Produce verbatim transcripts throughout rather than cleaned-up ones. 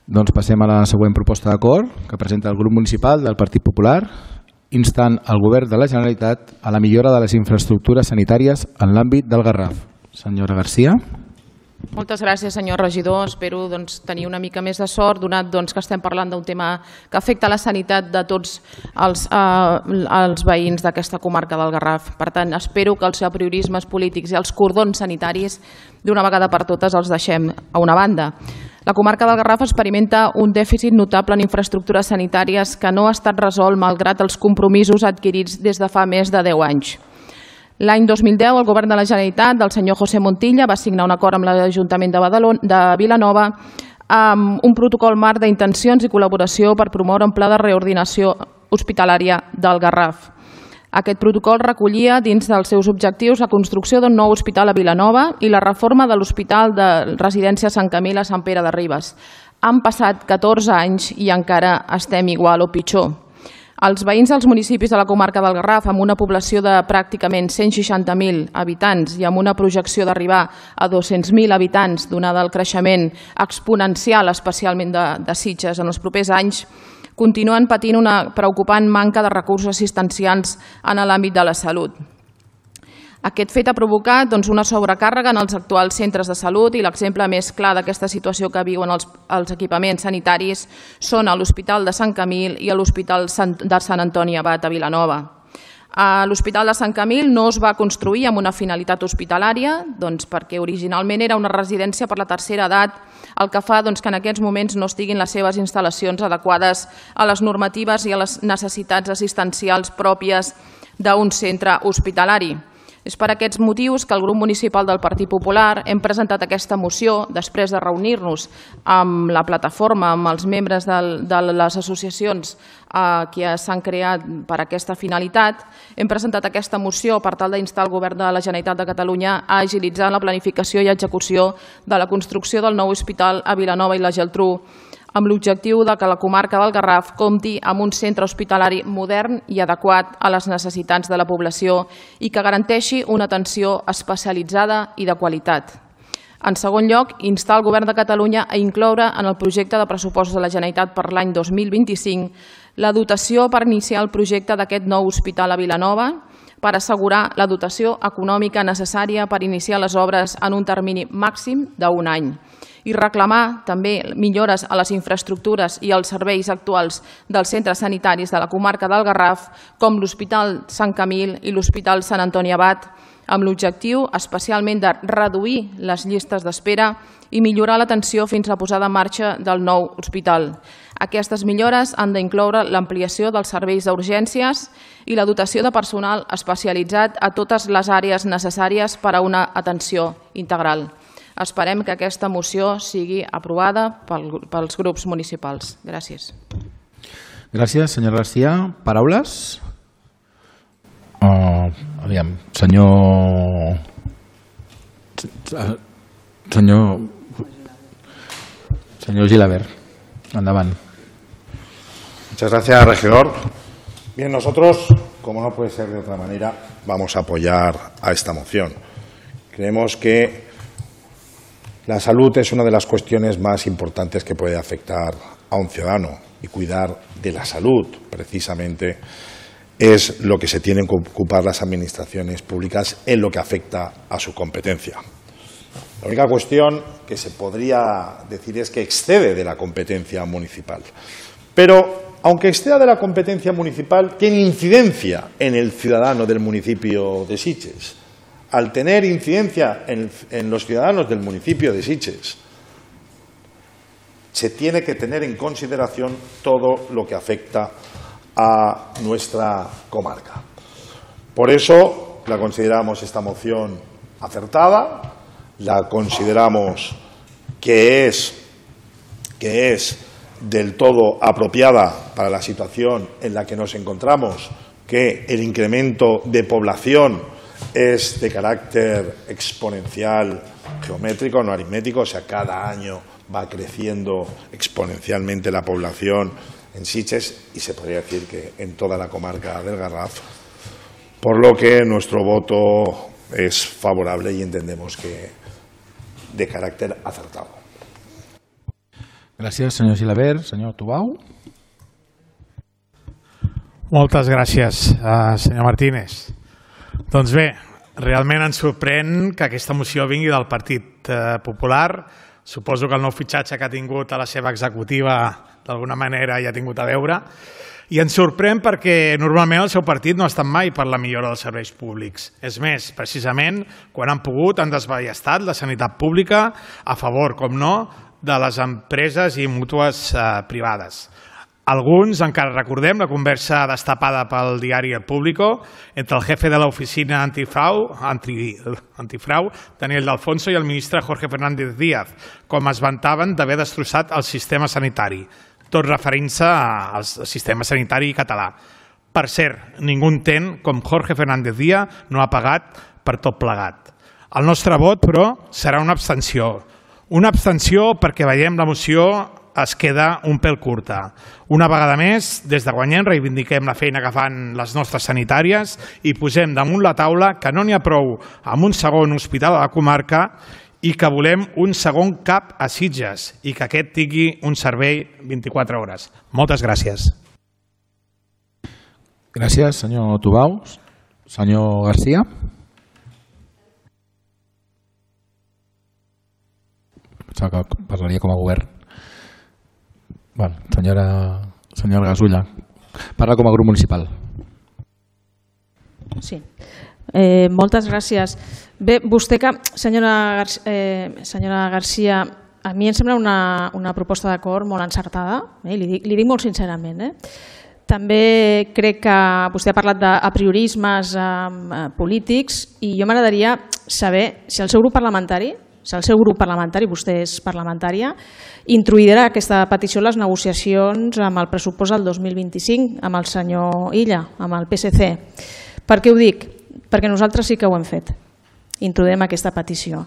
Doncs passem a la següent proposta d'acord que presenta el grup municipal del Partit Popular, instant el govern de la Generalitat a la millora de les infraestructures sanitàries en l'àmbit del Garraf. Senyora Garcia. Moltes gràcies, senyor regidor. Espero doncs, tenir una mica més de sort, donat doncs, que estem parlant d'un tema que afecta la sanitat de tots els, eh, els veïns d'aquesta comarca del Garraf. Per tant, espero que els apriorismes polítics i els cordons sanitaris d'una vegada per totes els deixem a una banda. La comarca del Garraf experimenta un dèficit notable en infraestructures sanitàries que no ha estat resolt malgrat els compromisos adquirits des de fa més de deu anys. L'any dos mil deu, el govern de la Generalitat del senyor José Montilla va signar un acord amb l'Ajuntament de Badalona, de Vilanova amb un protocol marc d'intencions i col·laboració per promoure un pla de reordinació hospitalària del Garraf. Aquest protocol recollia dins dels seus objectius la construcció d'un nou hospital a Vilanova i la reforma de l'Hospital de Residència Sant Camil a Sant Pere de Ribes. Han passat catorze anys i encara estem igual o pitjor. Els veïns dels municipis de la comarca del Garraf, amb una població de pràcticament cent seixanta mil habitants i amb una projecció d'arribar a dos-cents mil habitants, donada el creixement exponencial, especialment de, de Sitges en els propers anys, continuen patint una preocupant manca de recursos assistencials en l'àmbit de la salut. Aquest fet ha provocat doncs, una sobrecàrrega en els actuals centres de salut i l'exemple més clar d'aquesta situació que viuen els, els equipaments sanitaris són l'Hospital de Sant Camil i l'Hospital de Sant Antoni Abat a Vilanova. L'Hospital de Sant Camil no es va construir amb una finalitat hospitalària doncs, perquè originalment era una residència per la tercera edat, el que fa doncs, que en aquests moments no estiguin les seves instal·lacions adequades a les normatives i a les necessitats assistencials pròpies d'un centre hospitalari. És per aquests motius que el grup municipal del Partit Popular hem presentat aquesta moció després de reunir-nos amb la plataforma, amb els membres de les associacions que s'han creat per aquesta finalitat. Hem presentat aquesta moció per tal d'instar el govern de la Generalitat de Catalunya a agilitzar la planificació i execució de la construcció del nou hospital a Vilanova i la Geltrú, amb l'objectiu que la comarca del Garraf compti amb un centre hospitalari modern i adequat a les necessitats de la població i que garanteixi una atenció especialitzada i de qualitat. En segon lloc, instar el govern de Catalunya a incloure en el projecte de pressupostos de la Generalitat per l'any dos mil vint-i-cinc la dotació per iniciar el projecte d'aquest nou hospital a Vilanova per assegurar la dotació econòmica necessària per iniciar les obres en un termini màxim d'un any i reclamar també millores a les infraestructures i als serveis actuals dels centres sanitaris de la comarca del Garraf, com l'Hospital Sant Camil i l'Hospital Sant Antoni Abat, amb l'objectiu especialment de reduir les llistes d'espera i millorar l'atenció fins a la posada en marxa del nou hospital. Aquestes millores han d'incloure l'ampliació dels serveis d'urgències i la dotació de personal especialitzat a totes les àrees necessàries per a una atenció integral. Esperem que aquesta moció sigui aprovada pels grups municipals. Gràcies. Gràcies, senyora Garcia. Paraules? Uh, aviam, senyor... Senyor... Senyor Gilabert, endavant. Muchas gracias, regidor. Bien, nosotros, como no puede ser de otra manera, vamos a apoyar a esta moción. Creemos que la salud es una de las cuestiones más importantes que puede afectar a un ciudadano y cuidar de la salud, precisamente, es lo que se tienen que ocupar las administraciones públicas en lo que afecta a su competencia. La única cuestión que se podría decir es que excede de la competencia municipal. Pero, aunque exceda de la competencia municipal, tiene incidencia en el ciudadano del municipio de Sitges. Al tener incidencia en, en los ciudadanos del municipio de Sitges, se tiene que tener en consideración todo lo que afecta a nuestra comarca. Por eso la consideramos esta moción acertada, la consideramos que es, que es del todo apropiada para la situación en la que nos encontramos, que el incremento de población es de carácter exponencial, geométrico, no aritmético, o sea, cada año va creciendo exponencialmente la población en Sitges y se podría decir que en toda la comarca del Garraf, por lo que nuestro voto es favorable y entendemos que de carácter acertado. Gràcies, senyor Gilabert. Senyor Tubau. Moltes gràcies, uh, senyor Martínez. Doncs bé, realment ens sorprèn que aquesta moció vingui del Partit uh, Popular. Suposo que el nou fitxatge que ha tingut a la seva executiva d'alguna manera hi ha tingut a veure. I ens sorprèn perquè normalment el seu partit no ha estat mai per la millora dels serveis públics. És més, precisament, quan han pogut han desballestat la sanitat pública a favor, com no, de les empreses i mútues eh, privades. Alguns encara recordem la conversa destapada pel diari El Público entre el jefe de l'oficina antifrau, anti, antifrau, Daniel de Alfonso, i el ministre Jorge Fernández Díaz, com es vantaven d'haver destrossat el sistema sanitari, tot referint-se al sistema sanitari català. Per cert, ningú entén com Jorge Fernández Díaz no ha pagat per tot plegat. El nostre vot, però, serà una abstenció. Una abstenció perquè veiem la moció es queda un pèl curta. Una vegada més, des de Guanyem reivindiquem la feina que fan les nostres sanitàries i posem damunt la taula que no n'hi ha prou amb un segon hospital a la comarca i que volem un segon cap a Sitges i que aquest tingui un servei vint-i-quatre hores. Moltes gràcies. Gràcies, senyor Tubau. Senyor Garcia. Pensava que parlaria com a govern. Val, senyora, senyora Gasulla, parla com a grup municipal. Sí, eh, moltes gràcies. Bé, vostè que, senyora, Gar eh, senyora Garcia, a mi em sembla una, una proposta d'acord molt encertada, eh, li, dic, li dic molt sincerament. Eh? També crec que vostè ha parlat d'apriorismes eh, polítics i jo m'agradaria saber si el seu grup parlamentari, si el seu grup parlamentari, vostè és parlamentària, introduirà aquesta petició a les negociacions amb el pressupost del dos mil vint-i-cinc, amb el senyor Illa, amb el P S C. Per què ho dic? Perquè nosaltres sí que ho hem fet. Introduirem aquesta petició.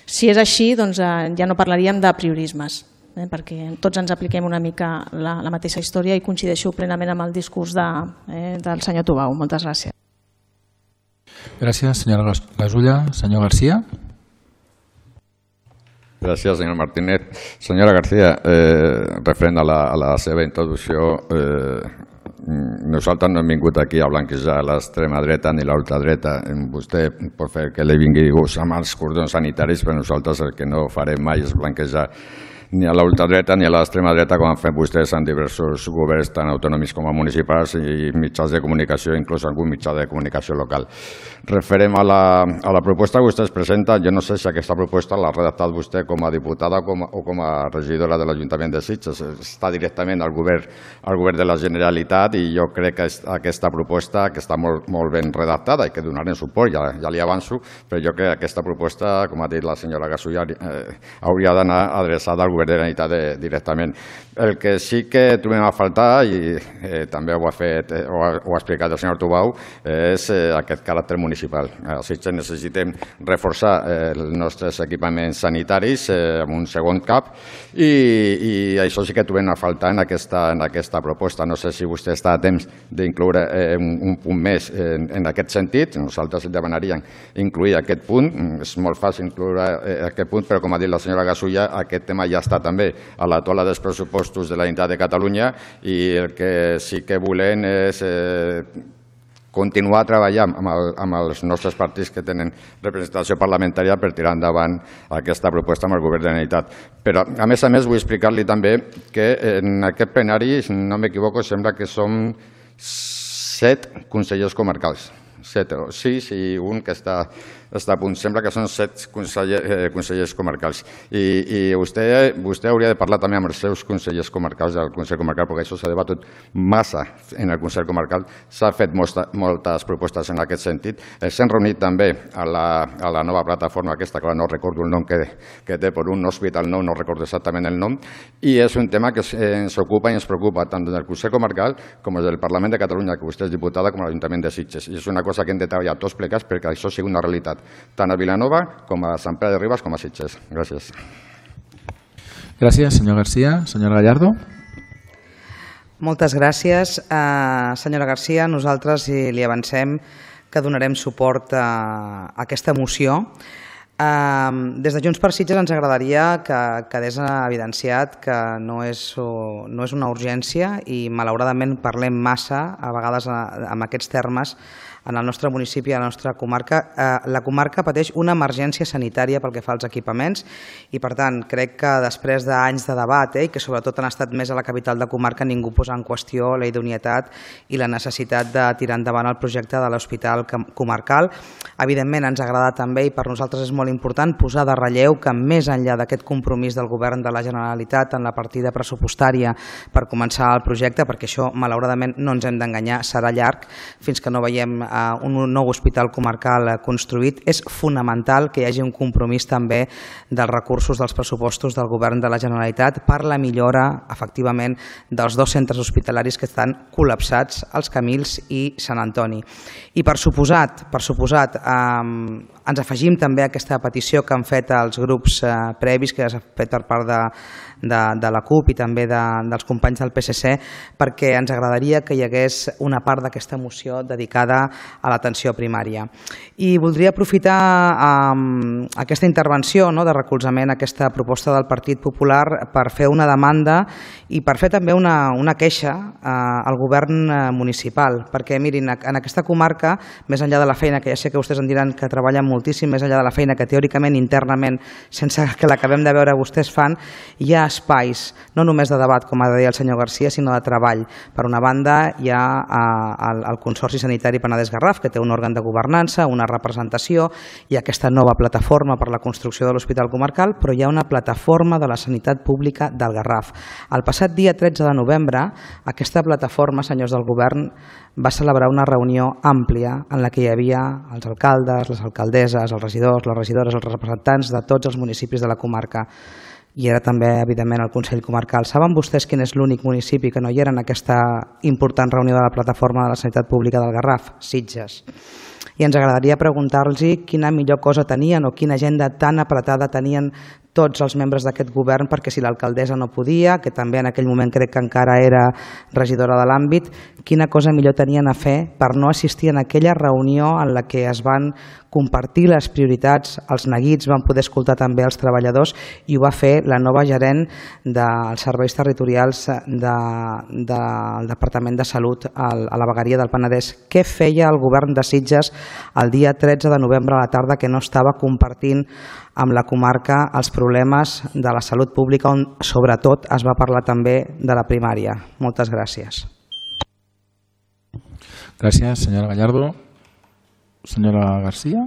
Si és així, doncs ja no parlaríem d'apriorismes, eh, perquè tots ens apliquem una mica la, la mateixa història i coincideixo plenament amb el discurs de, eh, del senyor Tubau. Moltes gràcies. Gràcies, senyora Gasulla. Senyor Garcia. Gràcies, senyor Martínez. Senyora García, eh, referent a la, a la seva introducció, eh, nosaltres no hem vingut aquí a blanquejar l'extrema dreta ni l'ultradreta. Vostè pot fer que li vingui gust amb els cordons sanitaris, però nosaltres el que no farem mai és blanquejar ni a l'ultradreta ni a l'extrema dreta com han fet vostès en diversos governs tant autonòmics com municipals i mitjans de comunicació, inclús algun mitjà de comunicació local. Referent a la, a la proposta que vostès presenten, jo no sé si aquesta proposta l'ha redactat vostè com a diputada o com, o com a regidora de l'Ajuntament de Sitges. Està directament al govern, al govern de la Generalitat i jo crec que aquesta proposta que està molt, molt ben redactada i que donarem suport, ja, ja li avanço, però jo crec que aquesta proposta, com ha dit la senyora Gasulla, eh, hauria d'anar adreçada al govern de la Generalitat de, directament. El que sí que trobem a faltar, i eh, també ho ha, fet, eh, ho, ha, ho ha explicat el senyor Tubau, és eh, aquest caràcter municipal. A Sitges necessitem reforçar eh, els nostres equipaments sanitaris eh, amb un segon cap i, i això sí que trobem a faltar en aquesta, en aquesta proposta. No sé si vostè està a temps d'incloure eh, un, un punt més en, en aquest sentit. Nosaltres demanaríem incluir aquest punt. És molt fàcil incloure eh, aquest punt, però com ha dit la senyora Gasulla, aquest tema ja està també a la taula dels pressupostos de la Generalitat de Catalunya i el que sí que volem és eh, continuar treballant amb, el, amb els nostres partits que tenen representació parlamentària per tirar endavant aquesta proposta amb el govern de la Generalitat. Però, a més a més, vull explicar-li també que en aquest plenari, si no m'equivoco, sembla que som set consellers comarcals. Set o sis i un que està, està a punt. Sembla que són set conseller, eh, consellers comarcals. I, i vostè, vostè hauria de parlar també amb els seus consellers comarcals del Consell Comarcal, perquè això s'ha debatut massa en el Consell Comarcal. S'ha fet molta, moltes propostes en aquest sentit. S'han reunit també a la, a la nova plataforma aquesta, que no recordo el nom que, que té, per un hospital nou, no recordo exactament el nom, i és un tema que ens ocupa i ens preocupa tant del Consell Comarcal com del Parlament de Catalunya, que vostè és diputada, com l'Ajuntament de Sitges. I és una cosa que hem de treballar tots plegats perquè això sigui una realitat, tant a Vilanova com a Sant Pere de Ribes com a Sitges. Gràcies. Gràcies, senyor Garcia. Senyora Gallardo. Moltes gràcies. Uh, senyora Garcia, nosaltres li avancem que donarem suport a aquesta moció. Des de Junts per Sitges ens agradaria que quedés evidenciat que no és, no és una urgència i malauradament parlem massa a vegades amb aquests termes en el nostre municipi, a la nostra comarca. La comarca pateix una emergència sanitària pel que fa als equipaments i, per tant, crec que després d'anys de debat, i que sobretot han estat més a la capital de comarca, ningú posa en qüestió la idoneïtat i la necessitat de tirar endavant el projecte de l'hospital comarcal. Evidentment, ens agrada també, i per nosaltres és molt important, posar de relleu que més enllà d'aquest compromís del Govern de la Generalitat en la partida pressupostària per començar el projecte, perquè això, malauradament, no ens hem d'enganyar, serà llarg fins que no veiem un nou hospital comarcal construït, és fonamental que hi hagi un compromís també dels recursos dels pressupostos del Govern de la Generalitat per la millora, efectivament, dels dos centres hospitalaris que estan col·lapsats, els Camils i Sant Antoni. I per suposat, per suposat, eh, ens afegim també a aquesta petició que han fet els grups eh, previs, que s'ha fet per part de, de, de la CUP i també de, dels companys del P S C, perquè ens agradaria que hi hagués una part d'aquesta moció dedicada a l'atenció primària. I voldria aprofitar eh, aquesta intervenció, no, de recolzament a aquesta proposta del Partit Popular per fer una demanda i per fer també una, una queixa eh, al govern municipal, perquè mirin, en aquesta comarca, més enllà de la feina, que ja sé que vostès en diran que treballen moltíssim, més enllà de la feina que teòricament, internament, sense que l'acabem de veure vostès fan, hi ha espais, no només de debat, com ha de dir el senyor Garcia, sinó de treball. Per una banda, hi ha eh, el, el Consorci Sanitari Penedès-Garraf, que té un òrgan de governança, una representació, i aquesta nova plataforma per la construcció de l'Hospital Comarcal, però hi ha una plataforma de la sanitat pública del Garraf. El passat dia tretze de novembre, aquesta plataforma, senyors del govern, va celebrar una reunió àmplia en la que hi havia els alcaldes, les alcaldesses, els regidors, les regidores, els representants de tots els municipis de la comarca. I era també, evidentment, el Consell Comarcal. Saben vostès quin és l'únic municipi que no hi era en aquesta important reunió de la plataforma de la sanitat pública del Garraf? Sitges. I ens agradaria preguntar-los quina millor cosa tenien o quina agenda tan apretada tenien tots els membres d'aquest govern, perquè si l'alcaldessa no podia, que també en aquell moment crec que encara era regidora de l'àmbit, quina cosa millor tenien a fer per no assistir en aquella reunió en la que es van compartir les prioritats, els neguits, van poder escoltar també els treballadors, i ho va fer la nova gerent dels serveis territorials de, de, del Departament de Salut a la vegueria del Penedès. Què feia el govern de Sitges el dia tretze de novembre a la tarda que no estava compartint amb la comarca els problemes de la salut pública, on sobretot es va parlar també de la primària? Moltes gràcies. Gràcies, senyora Gallardo. Senyora Garcia.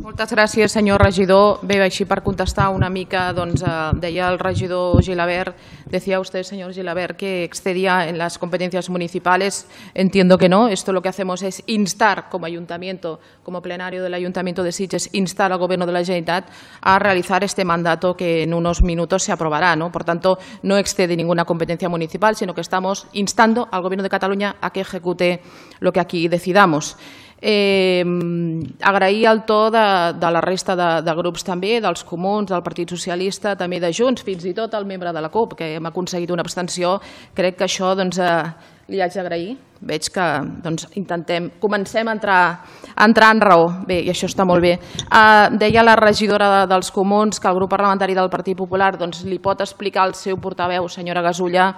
Moltes gràcies, senyor regidor. Bé, així per contestar una mica, doncs, eh, deia el regidor Gilabert, decía usted, señor Gilabert, que excedía en las competencias municipales. Entiendo que no. Esto lo que hacemos es instar como ayuntamiento, como plenario del Ayuntamiento de Sitges, instar al Gobierno de la Generalitat a realizar este mandato que en unos minutos se aprobará, ¿no? Por tanto, no excede ninguna competencia municipal, sino que estamos instando al Gobierno de Cataluña a que ejecute lo que aquí decidamos. Eh, agrair el to de, de la resta de, de grups també, dels comuns, del Partit Socialista, també de Junts, fins i tot el membre de la CUP, que hem aconseguit una abstenció. Crec que això, doncs, eh, li haig d'agrair. Veig que, doncs, intentem, comencem a entrar, a entrar en raó. Bé, i això està molt bé. Eh, deia la regidora de, dels comuns que el grup parlamentari del Partit Popular, doncs, li pot explicar al seu portaveu, senyora Gasulla,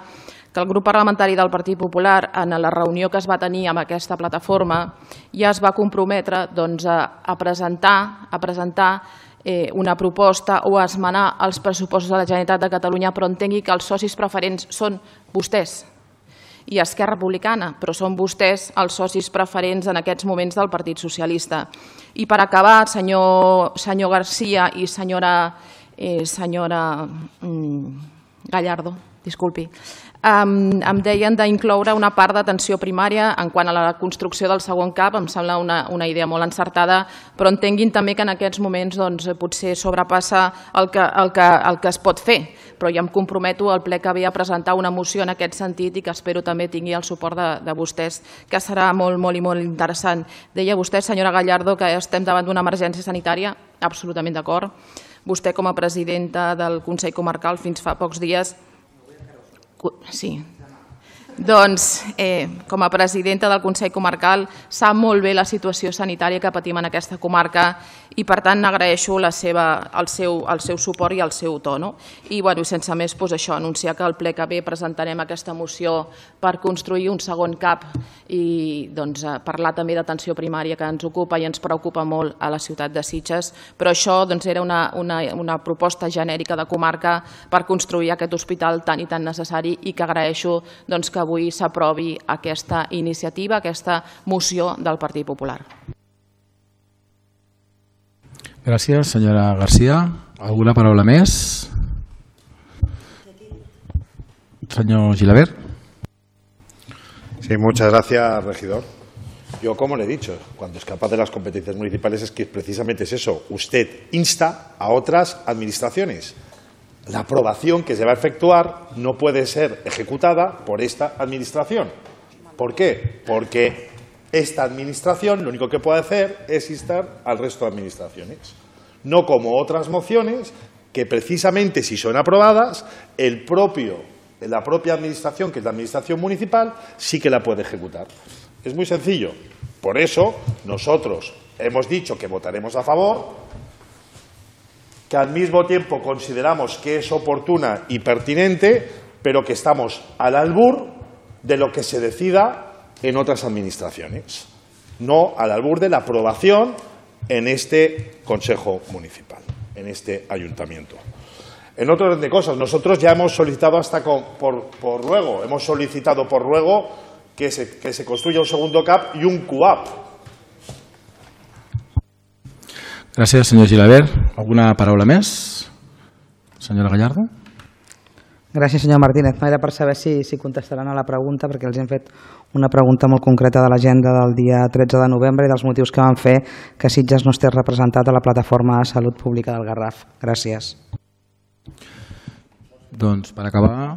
que el grup parlamentari del Partit Popular, en la reunió que es va tenir amb aquesta plataforma, ja es va comprometre, doncs, a, a presentar, a presentar eh, una proposta o a esmenar els pressupostos de la Generalitat de Catalunya, però entengui que els socis preferents són vostès i Esquerra Republicana, però són vostès els socis preferents en aquests moments del Partit Socialista. I per acabar, senyor, senyor Garcia i senyora, eh, senyora mm, Gallardo, disculpi, Um, em deien d'incloure una part d'atenció primària en quant a la construcció del segon cap. Em sembla una, una idea molt encertada, però entenguin també que en aquests moments, doncs, potser sobrepassa el que, el, que, el que es pot fer, però ja em comprometo al ple que ve a presentar una moció en aquest sentit i que espero també tingui el suport de, de vostès, que serà molt, molt i molt interessant. Deia vostè, senyora Gallardo, que estem davant d'una emergència sanitària. Absolutament d'acord. Vostè, com a presidenta del Consell Comarcal fins fa pocs dies, sí, Doncs, eh, com a presidenta del Consell Comarcal, sap molt bé la situació sanitària que patim en aquesta comarca i, per tant, agraeixo la seva, el, seu, el seu suport i el seu to. No? I, bueno, sense més, doncs això, anunciar que al ple que ve presentarem aquesta moció per construir un segon CAP i doncs, parlar també d'atenció primària, que ens ocupa i ens preocupa molt a la ciutat de Sitges, però això doncs, era una, una, una proposta genèrica de comarca per construir aquest hospital tan i tan necessari i que agraeixo doncs, que avui s'aprovi aquesta iniciativa, aquesta moció del Partit Popular. Gràcies, senyora García. ¿Alguna paraula més? Señor Gilabert. Sí, muchas gracias, regidor. Yo, como le he dicho, cuando escapa de las competencias municipales es que precisamente es eso. Usted insta a otras administraciones. La aprobación que se va a efectuar no puede ser ejecutada por esta administración. ¿Por qué? Porque esta administración lo único que puede hacer es instar al resto de administraciones. No como otras mociones que precisamente si son aprobadas, el propio, la propia administración, que es la administración municipal, sí que la puede ejecutar. Es muy sencillo. Por eso nosotros hemos dicho que votaremos a favor, que al mismo tiempo consideramos que es oportuna y pertinente, pero que estamos al albur de lo que se decida en otras administraciones, no al albur de la aprobación en este Consejo Municipal, en este Ayuntamiento. En otro orden de cosas, nosotros ya hemos solicitado hasta con, por, por ruego, hemos solicitado por ruego que se, que se construya un segundo CAP y un CUAP. Gràcies, senyor Gilabert. Alguna paraula més? Senyora Gallardo. Gràcies, senyor Martínez. Era per saber si, si contestaran a la pregunta, perquè els hem fet una pregunta molt concreta de l'agenda del dia tretze de novembre i dels motius que van fer que Sitges no estés representat a la plataforma de salut pública del Garraf. Gràcies. Doncs, per acabar,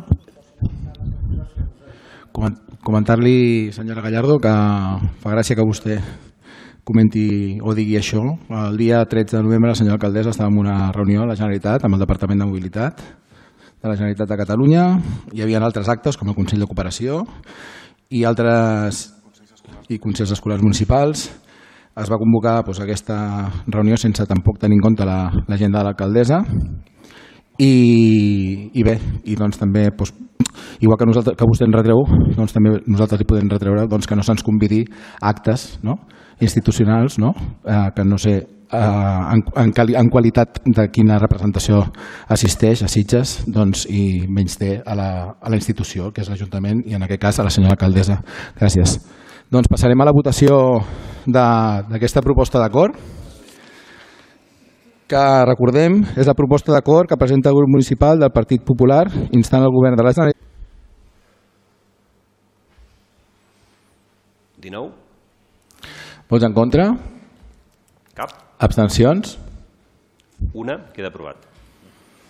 comentar-li, senyora Gallardo, que fa gràcia que vostè comenti o digui això. El dia tretze de novembre la senyora alcaldessa estava en una reunió a la Generalitat amb el Departament de Mobilitat de la Generalitat de Catalunya. Hi havia altres actes com el Consell de Cooperació i altres i consells escolars municipals. Es va convocar doncs, aquesta reunió sense tampoc tenir en compte l'agenda de l'alcaldessa i, i bé, i doncs també doncs, igual que, nosaltres, que vostè ens retreu, doncs també nosaltres li podem retreure doncs, que no se'ns convidi a actes, no? institucionals, no? Eh, que no sé eh, en, en, en qualitat de quina representació assisteix a Sitges doncs, i menys té a la, a la institució, que és l'Ajuntament, i en aquest cas a la senyora alcaldessa. Gràcies. Doncs passarem a la votació d'aquesta proposta d'acord, que recordem és la proposta d'acord que presenta el grup municipal del Partit Popular instant el govern de la Generalitat. dinou. Vots en contra? Cap. Abstencions? Una. Queda aprovat.